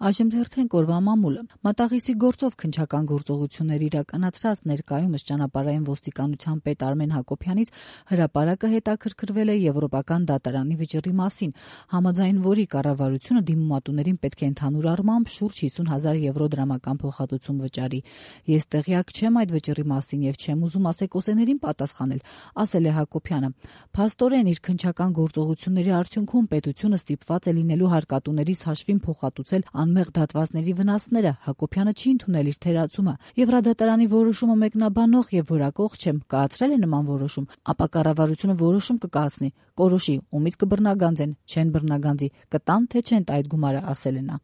Այժմ թերթենք օրվա մամուլը։ Մատաղիսի գործով քննչական գործողություններ իրականացրած ներկայումս ճանապարհային ոստիկանության պետ Արմեն Հակոբյանից հրապարակը հետաքրքրվել է Եվրոպական դատարանի վճռի մասին, համաձայն որի կառավարությունը դիմումատուներին պետք է ընդհանուր առմամբ շուրջ 50,000 եվրո դրամական փոխհատուցում վճարի։ Ես տեղյակ չեմ այդ վճռի մասին եւ չեմ ուզում ասեկոսեներին պատասխանել, ասել է Հակոբյանը։ Փաստորեն իր քննչական գործողությունների արդյունքում պետությունը ստիպված է լինելու հարկատուներից հաշվին փոխհատուցել անմեղ դատվածների վնասները, Հակոբյանը չի ընդունել իր թերացումը։ Եվրադատարանի որոշումը մեկնաբանող եւ որակող չեմ, կայացրել է նման որոշում, ապա կառավարությունը որոշում կկայացնի, կորոշի ումից կբռնագանձեն, չեն բռնագանձի, կտան թե չեն տա այդ գումարը, ասել է նա։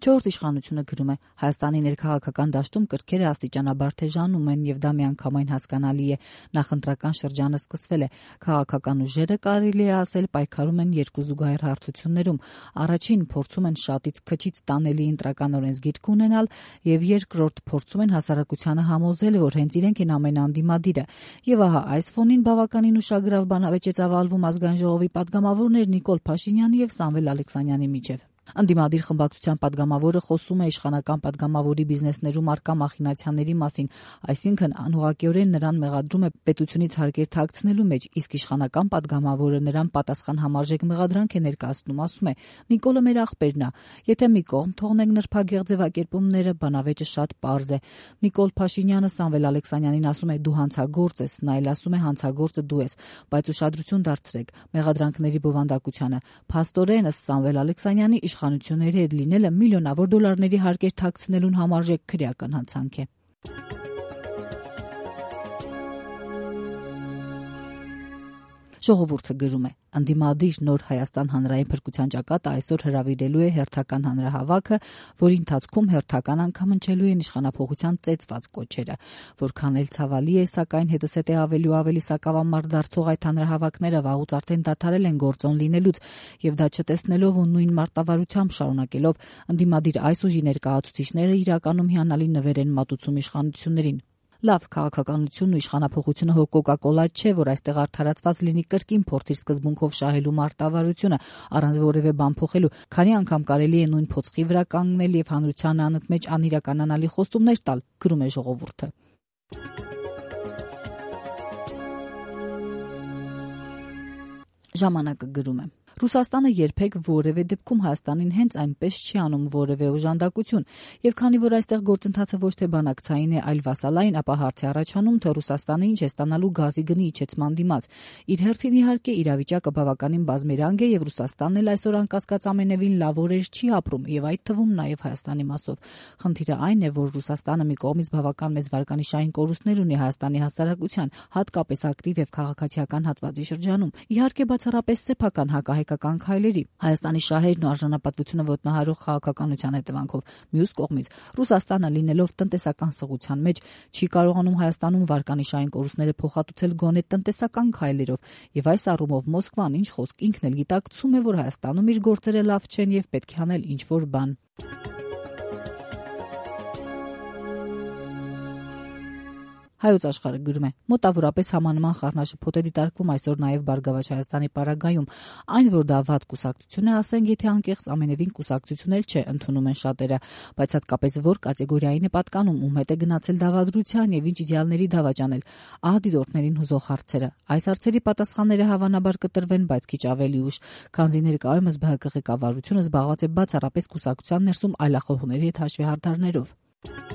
Չորրորդ իշխանությունը գրում է. Հայաստանի ներքաղաքական դաշտում կրքերը աստիճանաբար թեժանում են եւ դա միանգամայն հասկանալի է։ Նախընտրական շրջանը սկսվել է։ Քաղաքական ուժերը, կարելի է ասել, պայքարում են երկու զուգահեռ հարթություններում։ Առաջին փորձում են շատից քչից տանելի ընտրական օրենսգիրք ունենալ եւ երկրորդ փորձում են հասարակությանը համոզել, որ հենց իրենք են ամենաանդիմադիրը։ Եվ ահա այս ֆոնին բավականին ուշագրավ բանավեճ է ծավալվում Ազգային ժողովի պատգամավորներ Նիկոլ Փաշինյանի եւ Սամվել Ալեքսանյանի միջեւ։ Անդիմադիր խմբակցության պատգամավորը խոսում է իշխանական պատգամավորի բիզնեսներում առկա մախինացիաների մասին, այսինքն անուղղակիորեն նրան մեղադրում է պետությունից հարկեր թաքցնելու մեջ, իսկ իշխանական պատգամավորը նրան պատասխան համարժեք մեղադրանք է ներկայացնում, ասում է. Նիկոլը մեր աղբերն է, եթե մի կողմ թողնենք նրբագեղ ձևակերպումները, բանավեճը շատ պարզ է։ Նիկոլ Փաշինյանը Սամվել Ալեքսանյանին ասում է դու հանցագործ ես, նա էլ ասում է հանցագործը դու ես, բայց ուշադրություն դարձրեք մեղադրանքների բովանդակությանը։ Փաստորեն ըստ Սամվել Ալեքսանյանի իշխանությունների հետ լինելը միլիոնավոր դոլարների հարկեր թաքցնելուն համարժեք քրեական հանցանք է։ Ժողովուրդը գրում է. Անդիմադիր նոր Հայաստան հանրային փրկության ճակատը այսօր հրավիրելու է հերթական հանրահավաքը, որի ընթացքում հերթական անգամ հնչելու են իշխանափոխության ծեծված կոչերը։ Որքան էլ ցավալի է, սակայն հետզհետե ավելի ու ավելի սակավամարդ դարձող այդ հանրահավաքները վաղուց արդեն դադարել են գործոն լինելուց, եւ դա չտեսնելով ու նույն մարտավարությամբ շարունակելով անդիմադիր այս ուժի ներկայացուցիչները իրականում հիանալի նվեր են մատուցում իշխանություններին։ Լավ քաղաքականությունն ու իշխանափոխությունը հո կոկա-կոլա չէ, որ այստեղ արդարացված լինի կրկին փորձի սկզբունքով շահելու մարտավարությունը, առանց որևէ բան փոխելու, քանի անգամ կարելի է նույն փոცხի վրա կանգնել եւ հանրության անընդմեջ անիրականանալի խոստումներ տալ, գրում է ժողովուրդը։ Ժամանակը գրում է. Ռուսաստանը երբեք որևէ դեպքում Հայաստանին հենց այնպես չի անում որևէ օժանդակություն, եւ քանի որ այստեղ գործընթացը ոչ թե բանակցային է, այլ վասալային, ապա հարց է առաջանում, թե Ռուսաստանը ինչ է ստանալու գազի գնի իջեցման դիմաց։ Իր հերթին իհարկե իրավիճակը բավականին բազմերանգ է եւ Ռուսաստանն էլ այսօր անկասկած ամենևին լավ օրեր չի ապրում եւ այդ թվում նաեւ Հայաստանի մասով։ Խնդիրը այն է, որ Ռուսաստանը մի կողմից բավական մեծ վարկանիշային կորուստներ ունի Հայաստանի հասարակության, հատկապես ակտիվ եւ քաղաքացիական հատվածի շրջանում։ Իհարկե բացառապես սեփական հակահայկական քայլերի, Հայաստանի շահերն ու արժանապատվությունը ոտնահարող քաղաքականության հետևանքով։ Մյուս կողմից Ռուսաստանը լինելով տնտեսական սղության մեջ չի կարողանում Հայաստանում վարկանիշային կորուստները փոխհատուցել գոնե տնտեսական քայլերով, եւ այս առումով Մոսկվան ինչ խոսք ինքն էլ գիտակցում է, որ Հայաստանում իր գործերը լավ չեն եւ պետք է անել ինչ-որ բան։ Հայոց աշխարհը գրում է. մոտավորապես համանման խառնաշփոթ է դիտարկվում այսօր նաև Բարգավաճ Հայաստանի պարագայում, այն որ դա վատ կուսակցություն է, ասենք, եթե անկեղծ ամենևին կուսակցություն էլ չէ, ընդունում են շատերը, բայց հատկապես որ կատեգորիային է պատկանում, ում հետ է գնացել դավադրության եւ ինչ իդեալների դավաճանել, ահա դիտորդներին հուզող հարցերը։ Այս հարցերի պատասխանները հավանաբար կտրվեն, բայց քիչ ավելի ուշ, քանզի ներկայումս ԲՀԿ ղեկավարությունը զբաղված է բացառապես կուսակցության ներսում այլախոհների հետ հաշվի հարդարներով։